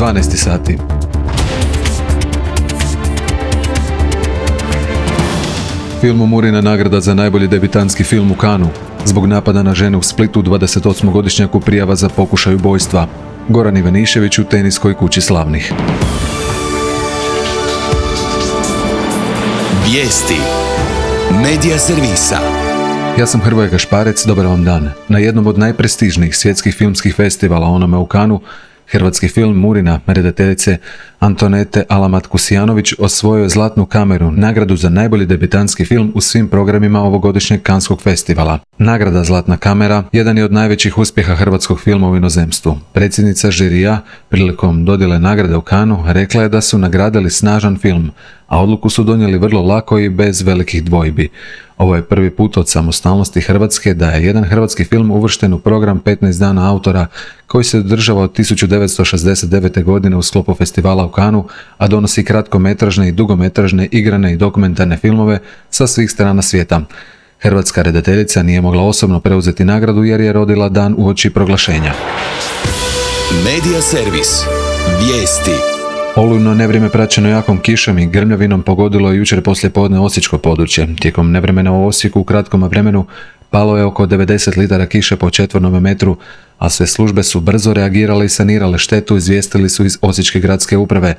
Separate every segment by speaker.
Speaker 1: 12 sati. Filmu Murina nagrada za najbolji debitanski film u Cannesu. Zbog napada na žene u Splitu 28-godišnjaku prijava za pokušaj ubojstva. Goran Ivanišević u teniskoj kući slavnih.
Speaker 2: Vijesti Medija servisa.
Speaker 1: Ja sam Hrvoje Gašparec, dobar vam dan. Na jednom od najprestižnijih svjetskih filmskih festivala, onome u Cannesu, hrvatski film Murina, redateljice Antonete Alamat-Kusijanović, osvojio je Zlatnu kameru, nagradu za najbolji debitanski film u svim programima ovogodišnjeg Caneskog festivala. Nagrada Zlatna kamera jedan je od najvećih uspjeha hrvatskog filma u inozemstvu. Predsjednica žirija prilikom dodjele nagrade u Cannesu rekla je da su nagradili snažan film, a odluku su donijeli vrlo lako i bez velikih dvojbi. Ovo je prvi put od samostalnosti Hrvatske da je jedan hrvatski film uvršten u program 15 dana autora koji se održava od 1969. godine u sklopu festivala u Cannesu, a donosi kratkometražne i dugometražne igrane i dokumentarne filmove sa svih strana svijeta. Hrvatska redateljica nije mogla osobno preuzeti nagradu jer je rodila dan uoči proglašenja.
Speaker 2: Medija servis. Vijesti.
Speaker 1: Olujno nevrijeme praćeno jakom kišom i grmljavinom pogodilo je jučer poslijepodne osječko područje. Tijekom nevremena u Osijeku u kratkom vremenu palo je oko 90 litara kiše po četvornom metru, a sve službe su brzo reagirale i sanirale štetu, izvijestili su iz Osječke gradske uprave.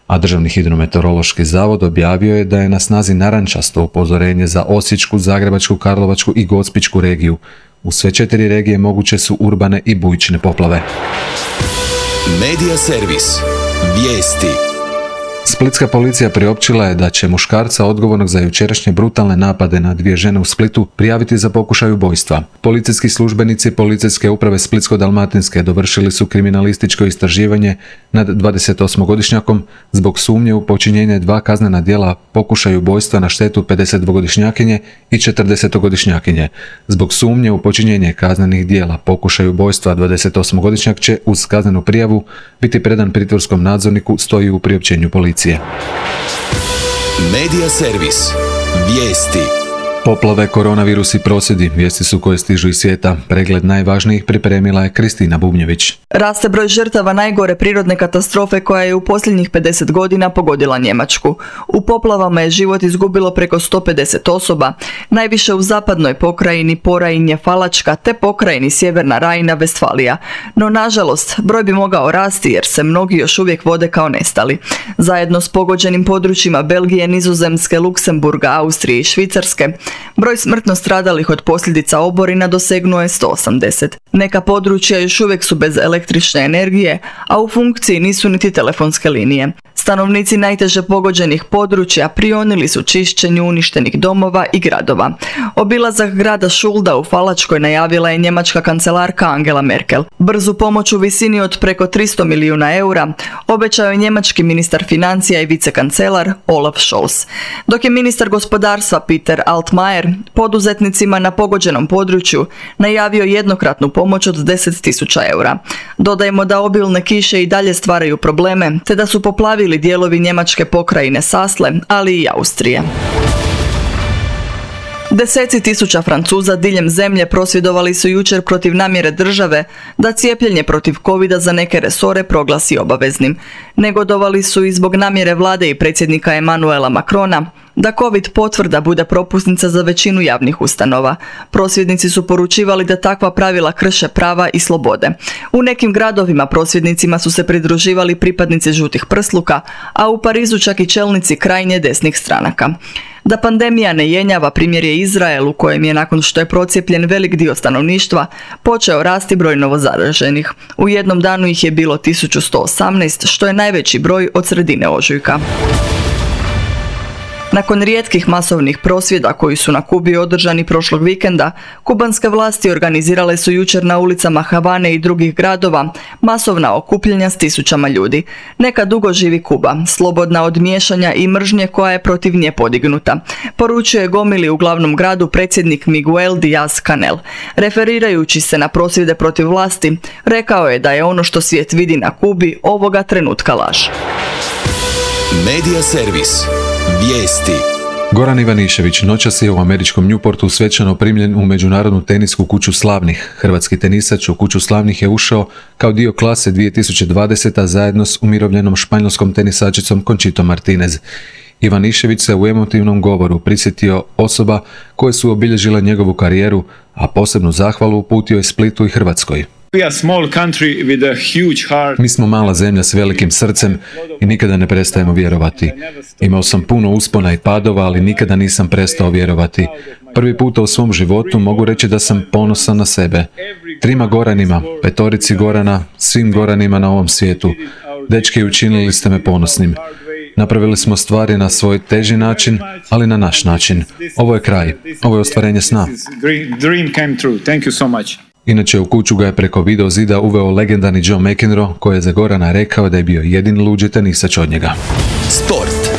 Speaker 1: A Državni hidrometeorološki zavod objavio je da je na snazi narančasto upozorenje za Osječku, Zagrebačku, Karlovačku i Gospićku regiju. U sve 4 regije moguće su urbane i bujične poplave.
Speaker 2: Medija servis. Vijesti.
Speaker 1: Splitska policija priopćila je da će muškarca odgovornog za jučerašnje brutalne napade na 2 žene u Splitu prijaviti za pokušaj ubojstva. Policijski službenici Policijske uprave Splitsko-dalmatinske dovršili su kriminalističko istraživanje nad 28-godišnjakom zbog sumnje u počinjenje 2 kaznena djela pokušaj ubojstva na štetu 52-godišnjakinje i 40-godišnjakinje. Zbog sumnje u počinjenje kaznenih djela pokušaj ubojstva 28-godišnjak će uz kaznenu prijavu biti predan pritvorskom nadzorniku, stoji u priopćenju policije.
Speaker 2: Medija servis. Vijesti.
Speaker 1: Poplave, koronavirus i prosvjedi, vijesti su koje stižu iz svijeta. Pregled najvažnijih pripremila je Kristina Bubnjević.
Speaker 3: Raste broj žrtava najgore prirodne katastrofe koja je u posljednjih 50 godina pogodila Njemačku. U poplavama je život izgubilo preko 150 osoba, najviše u zapadnoj pokrajini Porajinje Falačka te pokrajini Sjeverna Rajna-Vestfalija. No nažalost, broj bi mogao rasti jer se mnogi još uvijek vode kao nestali. Zajedno s pogođenim područjima Belgije, Nizozemske, Luksemburga, Austrije i Švicarske, broj smrtno stradalih od posljedica oborina dosegnuo je 180. Neka područja još uvijek su bez električne energije, a u funkciji nisu niti telefonske linije. Stanovnici najteže pogođenih područja prionili su čišćenju uništenih domova i gradova. Obilazak grada Šulda u Falačkoj najavila je njemačka kancelarka Angela Merkel. Brzu pomoć u visini od preko 300 milijuna eura obećao je njemački ministar financija i vicekancelar Olaf Scholz. Dok je ministar gospodarstva Peter Altmaier poduzetnicima na pogođenom području najavio jednokratnu pomoć od 10.000 eura. Dodajmo da obilne kiše i dalje stvaraju probleme, te da su poplavili dijelovi njemačke pokrajine Sasle, ali i Austrije. Deseci tisuća Francuza diljem zemlje prosvjedovali su jučer protiv namjere države da cijepljenje protiv covida za neke resore proglasi obaveznim. Negodovali su i zbog namjere vlade i predsjednika Emmanuela Macrona da covid potvrda bude propusnica za većinu javnih ustanova. Prosvjednici su poručivali da takva pravila krše prava i slobode. U nekim gradovima prosvjednicima su se pridruživali pripadnici žutih prsluka, a u Parizu čak i čelnici krajnje desnih stranaka. Da pandemija ne jenjava primjer je Izrael, u kojem je nakon što je procijepljen velik dio stanovništva počeo rasti broj novozaraženih. U jednom danu ih je bilo 1118, što je najveći broj od sredine ožujka. Nakon rijetkih masovnih prosvjeda koji su na Kubi održani prošlog vikenda, kubanske vlasti organizirale su jučer na ulicama Havane i drugih gradova masovna okupljanja s tisućama ljudi. Neka dugo živi Kuba, slobodna od miješanja i mržnje koja je protiv nje podignuta, poručuje gomili u glavnom gradu predsjednik Miguel Díaz-Canel. Referirajući se na prosvjede protiv vlasti, rekao je da je ono što svijet vidi na Kubi ovoga trenutka laž.
Speaker 2: Medija servis. Vijesti.
Speaker 1: Goran Ivanišević noćas je u američkom Newportu svečano primljen u međunarodnu tenisku kuću slavnih. Hrvatski tenisač u kuću slavnih je ušao kao dio klase 2020. zajedno s umirovljenom španjolskom tenisačicom Conchitom Martinez. Ivanišević se u emotivnom govoru prisjetio osoba koje su obilježile njegovu karijeru, a posebnu zahvalu uputio je Splitu i Hrvatskoj. Mi smo mala zemlja s velikim srcem i nikada ne prestajemo vjerovati. Imao sam puno uspona i padova, ali nikada nisam prestao vjerovati. Prvi puta u svom životu mogu reći da sam ponosan na sebe. 3 Goranima, 5 Gorana, svim Goranima na ovom svijetu. Dečki, učinili ste me ponosnim. Napravili smo stvari na svoj teži način, ali na naš način. Ovo je kraj. Ovo je ostvarenje sna. Inače, u kuću ga je preko video zida uveo legendarni John McEnroe, koji je za Gorana rekao da je bio jedini luđi tenisač od njega.
Speaker 2: Sport.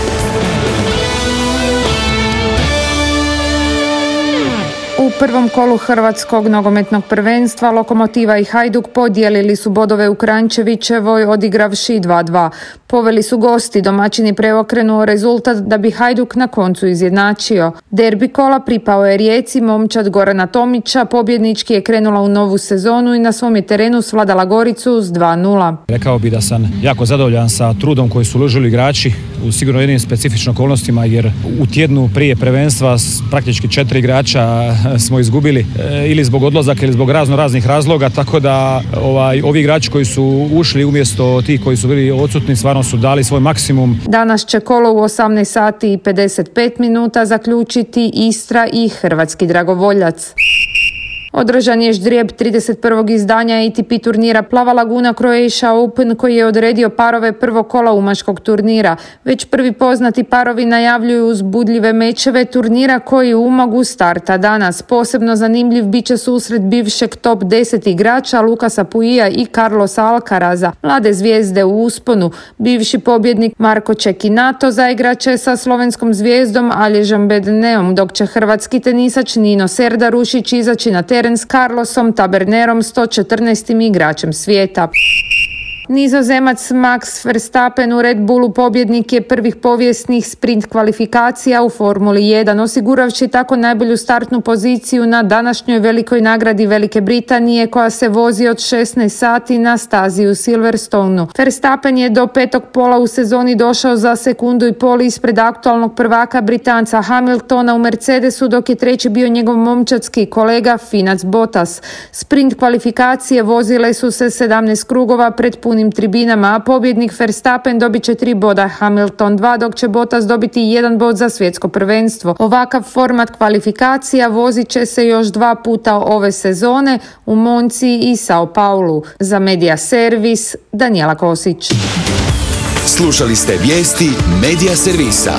Speaker 4: U prvom kolu Hrvatskog nogometnog prvenstva Lokomotiva i Hajduk podijelili su bodove u Kranjčevićevoj odigravši 2:2. Poveli su gosti, domaćini preokrenuo rezultat da bi Hajduk na koncu izjednačio. Derbi kola pripao je Rijeci, momčad Gorana Tomića pobjednički je krenula u novu sezonu i na svom je terenu svladala Goricu s 2:0.
Speaker 5: Rekao bi da sam jako zadovoljan sa trudom koji su uložili igrači u sigurno jednim specifičnim okolnostima, jer u tjednu prije prvenstva praktički 4 igrača smo izgubili ili zbog odlazaka ili zbog raznih razloga, tako da ovi igrači koji su ušli umjesto tih koji su bili odsutni stvarno su dali svoj maksimum.
Speaker 4: Danas će kolo u 18 sati i 55 minuta zaključiti Istra i Hrvatski dragovoljac. Održan je ždrijeb 31. izdanja ATP turnira Plava Laguna Croatia Open koji je odredio parove prvog kola umaškog turnira. Već prvi poznati parovi najavljuju uzbudljive mečeve turnira koji u Umagu starta danas. Posebno zanimljiv bit će susret bivšeg top 10 igrača Lukasa Pouilla i Carlosa Alcaraza, mlade zvijezde u usponu. Bivši pobjednik Marko Cecchinato zaigraće sa slovenskom zvijezdom Alježom Bedneom, dok će hrvatski tenisač Nino Serdarušić izaći na teren s Carlosom Tabernerom, 114. igračem svijeta. Nizozemac Max Verstappen u Red Bullu pobjednik je prvih povijesnih sprint kvalifikacija u Formuli 1, osiguravši tako najbolju startnu poziciju na današnjoj velikoj nagradi Velike Britanije koja se vozi od 16 sati na stazi u Silverstoneu. Verstappen je do 5. pola u sezoni došao za 1,5 sekunde ispred aktualnog prvaka Britanca Hamiltona u Mercedesu, dok je treći bio njegov momčadski kolega Finac Bottas. Sprint kvalifikacije vozile su se 17 krugova pred punim tribinama, a pobjednik Verstappen dobit će 3 boda, Hamilton 2, dok će Bottas dobiti 1 bod za svjetsko prvenstvo. Ovakav format kvalifikacija vozit će se još 2 puta ove sezone u Monci i Sao Paulu. Za Media Servis, Danijela Kosić.
Speaker 2: Slušali ste vijesti Media Servisa.